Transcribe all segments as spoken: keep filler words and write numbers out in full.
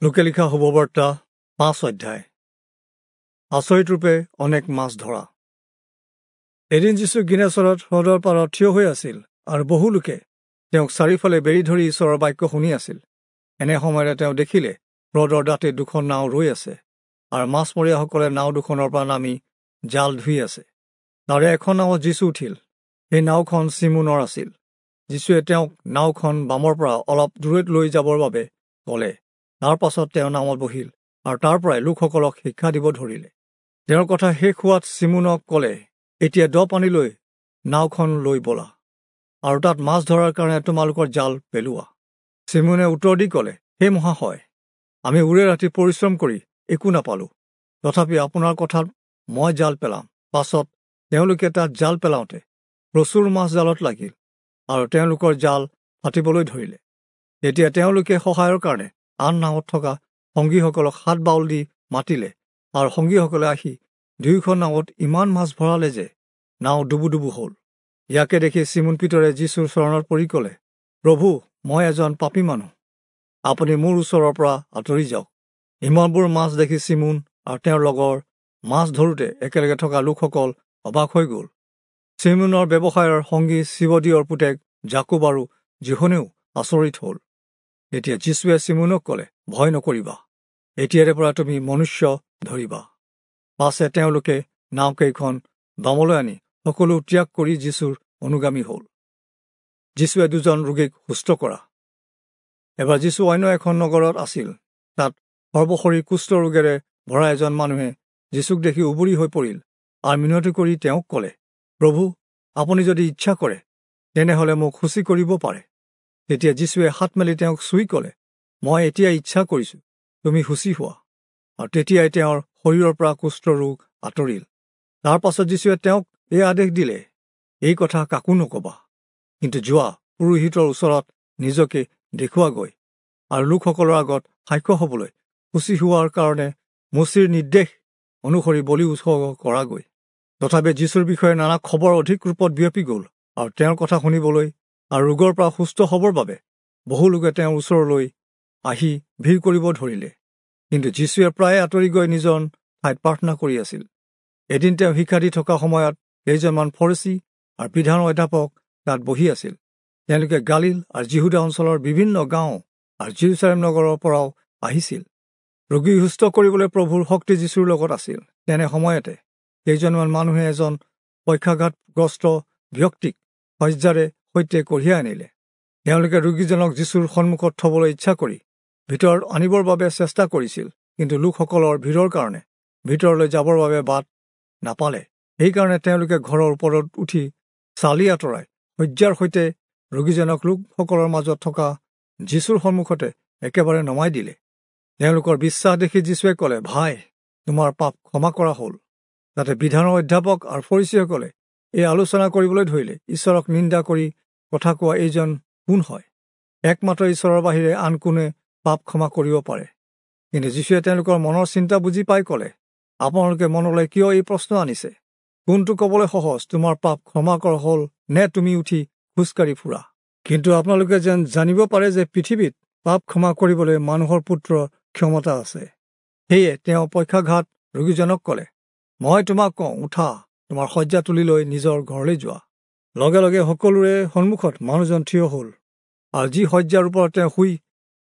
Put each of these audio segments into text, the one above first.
লোকে লিখা শুভবাৰ্তা পাঁচ অধ্যায়। আচৰিতৰূপে অনেক মাছ ধৰা। এদিন যীশু গিনেচৰত হ্ৰদৰ পাৰত থিয় হৈ আছিল আৰু বহু লোকে তেওঁক চাৰিওফালে বেৰি ধৰি ঈশ্বৰৰ বাক্য শুনি আছিল। এনে সময়তে তেওঁ দেখিলে হ্ৰদৰ দাঁতে দুখন নাও ৰৈ আছে আৰু মাছমৰীয়াসকলে নাও দুখনৰ পৰা নামি জাল ধুই আছে। তাৰে এখন নাৱত যীশু উঠিল। সেই নাওখন চিমোনৰ আছিল। যীশুৱে তেওঁক নাওখন বামৰ পৰা অলপ দূৰৈত লৈ যাবৰ বাবে ক'লে। তাৰ পাছত তেওঁ নাৱত বহিল আৰু তাৰ পৰাই লোকসকলক শিক্ষা দিব ধৰিলে। তেওঁৰ কথা শেষ হোৱাত চিমোনক ক'লে, এতিয়া দ পানীলৈ নাওখন লৈ ব'লা আৰু তাত মাছ ধৰাৰ কাৰণে তোমালোকৰ জাল পেলোৱা। চিমোনে উত্তৰ দি ক'লে, হে মহাশয়, আমি ওৰে ৰাতি পৰিশ্ৰম কৰি একো নাপালোঁ, তথাপি আপোনাৰ কথাত মই জাল পেলাম। পাছত তেওঁলোকে তাত জাল পেলাওঁতে প্ৰচুৰ মাছ জালত লাগিল আৰু তেওঁলোকৰ জাল ফাটিবলৈ ধৰিলে। তেতিয়া তেওঁলোকে সহায়ৰ কাৰণে আন নাৱত থকা সংগীসকলক হাত বাউল দি মাতিলে আৰু সংগীসকলে আহি দুয়োখন নাৱত ইমান মাছ ভৰালে যে নাও ডুবু ডুবু হ'ল। ইয়াকে দেখি চিমোন পিতৰে যীশুৰ চৰণত পৰি ক'লে, প্ৰভু, মই এজন পাপী মানুহ, আপুনি মোৰ ওচৰৰ পৰা আঁতৰি যাওক। ইমানবোৰ মাছ দেখি চিমোন আৰু তেওঁৰ লগৰ মাছ ধৰোঁতে একেলগে থকা লোকসকল অবাক হৈ গ'ল। চিমোনৰ ব্যৱসায়ৰ সংগী শিৱদীয়ৰ পুতেক জাকুব আৰু জিহনেও আচৰিত হ'ল। তেতিয়া যীশুৱে চিমোনক ক'লে, ভয় নকৰিবা, এতিয়াৰে পৰা তুমি মনুষ্য ধৰিবা। পাছে তেওঁলোকে নাওকেইখন বামলৈ আনি সকলো ত্যাগ কৰি যীশুৰ অনুগামী হ'ল। যীশুৱে দুজন ৰোগীক সুস্থ কৰা। এবাৰ যীশু অন্য এখন নগৰত আছিল। তাত সৰ্বশৰীৰ কুষ্ঠ ৰোগেৰে ভৰা এজন মানুহে যীশুক দেখি উবুৰি হৈ পৰিল আৰু মিনতি কৰি তেওঁক ক'লে, প্ৰভু, আপুনি যদি ইচ্ছা কৰে তেনেহ'লে মোক শুচি কৰিব পাৰে। তেতিয়া যীশুৱে হাত মেলি তেওঁক চুই ক'লে, মই এতিয়া ইচ্ছা কৰিছোঁ, তুমি শুচি হোৱা। আৰু তেতিয়াই তেওঁৰ শৰীৰৰ পৰা কুষ্ঠ ৰোগ আঁতৰিল। তাৰ পাছত যীশুৱে তেওঁক এই আদেশ দিলে, এই কথা কাকো নক'বা, কিন্তু যোৱা পুৰোহিতৰ ওচৰত নিজকে দেখুৱাগৈ আৰু লোকসকলৰ আগত সাক্ষ্য হ'বলৈ শুচি হোৱাৰ কাৰণে মোচিৰ নিৰ্দেশ অনুসৰি বলি উৎসৰ্গ কৰাগৈ। তথাপি যীশুৰ বিষয়ে নানা খবৰ অধিক ৰূপত বিয়পি গ'ল আৰু তেওঁৰ কথা শুনিবলৈ আৰু ৰোগৰ পৰা সুস্থ হ'বৰ বাবে বহু লোকে তেওঁৰ ওচৰলৈ আহি ভিৰ কৰিব ধৰিলে। কিন্তু যীশুৱে প্ৰায়ে আঁতৰি গৈ নিজৰ ঠাইত প্ৰাৰ্থনা কৰি আছিল। এদিন তেওঁ শিক্ষা দি থকা সময়ত কেইজনমান ফৰীচী আৰু বিধান অধ্যাপক তাত বহি আছিল। তেওঁলোকে গালিল আৰু যিহুদা অঞ্চলৰ বিভিন্ন গাঁও আৰু যিৰূচালেম নগৰৰ পৰাও আহিছিল। ৰোগী সুস্থ কৰিবলৈ প্ৰভুৰ শক্তি যীশুৰ লগত আছিল। তেনে সময়তে কেইজনমান মানুহে এজন পক্ষাঘাতগ্ৰস্ত ব্যক্তিক শয্যাৰে সৈতে কঢ়িয়াই আনিলে। তেওঁলোকে ৰোগীজনক যীশুৰ সন্মুখত থবলৈ ইচ্ছা কৰি ভিতৰত আনিবৰ বাবে চেষ্টা কৰিছিল, কিন্তু লোকসকলৰ ভিৰৰ কাৰণে ভিতৰলৈ যাবৰ বাবে বাট নাপালে। সেইকাৰণে তেওঁলোকে ঘৰৰ ওপৰত উঠি চালি আঁতৰাই শয্যাৰ সৈতে ৰোগীজনক লোকসকলৰ মাজত থকা যীশুৰ সন্মুখতে একেবাৰে নমাই দিলে। তেওঁলোকৰ বিশ্বাস দেখি যীশুৱে ক'লে, ভাই, তোমাৰ পাপ ক্ষমা কৰা হ'ল। তাতে বিধানৰ অধ্যাপক আৰু ফৰীচীসকলে এই আলোচনা কৰিবলৈ ধৰিলে, ঈশ্বৰক নিন্দা কৰি কথা কোৱা এইজন কোন হয়? একমাত্ৰ ঈশ্বৰৰ বাহিৰে আন কোনে পাপ ক্ষমা কৰিব পাৰে? কিন্তু যীশুৱে তেওঁলোকৰ মনৰ চিন্তা বুজি পাই ক'লে, আপোনালোকে মনলৈ কিয় এই প্ৰশ্ন আনিছে? কোনটো ক'বলৈ সহজ, তোমাৰ পাপ ক্ষমা কৰা হ'ল নে তুমি উঠি খোজকাঢ়ি ফুৰা? কিন্তু আপোনালোকে যেন জানিব পাৰে যে পৃথিৱীত পাপ ক্ষমা কৰিবলৈ মানুহৰ পুত্ৰৰ ক্ষমতা আছে। সেয়ে তেওঁ পক্ষাঘাত ৰোগীজনক ক'লে, মই তোমাক কওঁ, উঠা, তোমাৰ শয্যা তুলি লৈ নিজৰ ঘৰলৈ যোৱা। লগে লগে সকলোৰে সন্মুখত মানুহজন থিয় হ'ল আৰু যি শয্যাৰ ওপৰত তেওঁ শুই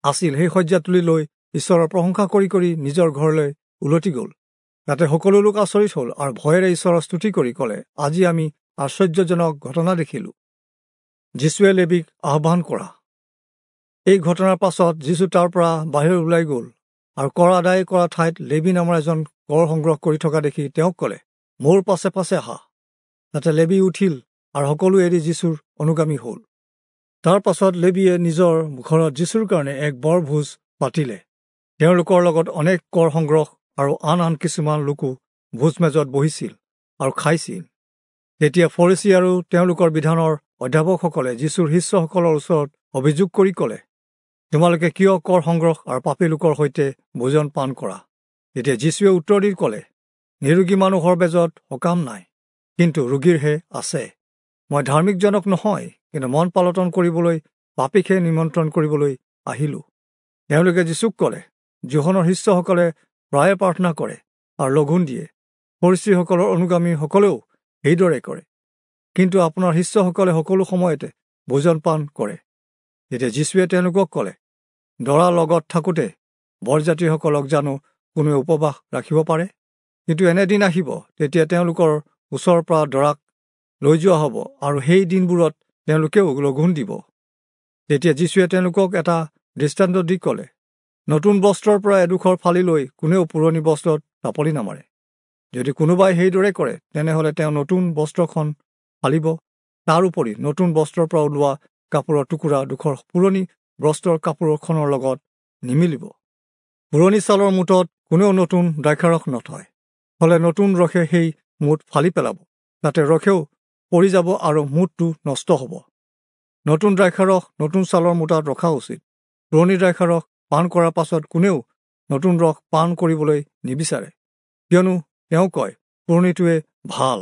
আছিল সেই শয্যা তুলি লৈ ঈশ্বৰৰ প্ৰশংসা কৰি কৰি নিজৰ ঘৰলৈ উলটি গ'ল। তাতে সকলো লোক আচৰিত হ'ল আৰু ভয়েৰে ঈশ্বৰৰ স্তুতি কৰি ক'লে, আজি আমি আশ্চৰ্যজনক ঘটনা দেখিলোঁ। যীশুৱে লেবীক আহ্বান কৰা। এই ঘটনাৰ পাছত যীশু তাৰ পৰা বাহিৰ ওলাই গ'ল আৰু কৰ আদায় কৰা ঠাইত লেবী নামৰ এজন কৰ সংগ্ৰহ কৰি থকা দেখি তেওঁক ক'লে, মোৰ পাছে পাছে আহা। তাতে লেবী উঠিল আৰু সকলো এৰি যীশুৰ অনুগামী হ'ল। তাৰ পাছত লেবীয়ে নিজৰ ঘৰত যীশুৰ কাৰণে এক বৰ ভোজ পাতিলে। তেওঁলোকৰ লগত অনেক কৰ সংগ্ৰহ আৰু আন আন কিছুমান লোকো ভোজ মেজত বহিছিল আৰু খাইছিল। তেতিয়া ফৰীচী আৰু তেওঁলোকৰ বিধানৰ অধ্যাপকসকলে যীশুৰ শিষ্যসকলৰ ওচৰত অভিযোগ কৰি ক'লে, তোমালোকে কিয় কৰ সংগ্ৰহ আৰু পাপী লোকৰ সৈতে ভোজন পান কৰা? তেতিয়া যীশুৱে উত্তৰ দি ক'লে, নিৰোগী মানুহৰ বেজত সকাম নাই, কিন্তু ৰোগীৰহে আছে। মই ধাৰ্মিকজনক নহয়, কিন্তু মন পালটন কৰিবলৈ পাপীকহে নিমন্ত্ৰণ কৰিবলৈ আহিলোঁ। তেওঁলোকে যীশুক ক'লে, যোহনৰ শিষ্যসকলে প্ৰায়ে প্ৰাৰ্থনা কৰে আৰু লঘোণ দিয়ে, ফৰীচীসকলৰ অনুগামীসকলেও সেইদৰে কৰে, কিন্তু আপোনাৰ শিষ্যসকলে সকলো সময়তে ভোজন পান কৰে। তেতিয়া যীচুৱে তেওঁলোকক ক'লে, দৰা লগত থাকোঁতে বৰযাত্ৰীসকলক জানো কোনোৱে উপবাস ৰাখিব পাৰে? কিন্তু এনে দিন আহিব, তেতিয়া তেওঁলোকৰ ওচৰৰ পৰা দৰাক লৈ যোৱা হ'ব আৰু সেই দিনবোৰত তেওঁলোকেও লঘোণ দিব। তেতিয়া যীচুৱে তেওঁলোকক এটা দৃষ্টান্ত দি ক'লে, নতুন বস্ত্ৰৰ পৰা এডোখৰ ফালি লৈ কোনেও পুৰণি বস্ত্ৰত টাপলি নামাৰে। যদি কোনোবাই সেইদৰে কৰে, তেনেহ'লে তেওঁ নতুন বস্ত্ৰখন ফালিব, তাৰ উপৰি নতুন বস্ত্ৰৰ পৰা ওলোৱা কাপোৰৰ টুকুৰা ডোখৰ পুৰণি বস্ত্ৰৰ কাপোৰখনৰ লগত নিমিলিব। পুৰণি ছালৰ মুঠত কোনেও নতুন দ্ৰাক্ষাৰস নথয়, হ'লে নতুন ৰসে সেই মুঠ ফালি পেলাব, তাতে ৰসেও পৰি যাব আৰু মুঠটো নষ্ট হ'ব। নতুন দ্ৰাক্ষাৰস নতুন ছালৰ মুঠাত ৰখা উচিত। পুৰণি দ্ৰাক্ষাৰস পান কৰাৰ পাছত কোনেও নতুন ৰস পান কৰিবলৈ নিবিচাৰে, কিয়নো তেওঁ কয়, পুৰণিটোৱে ভাল।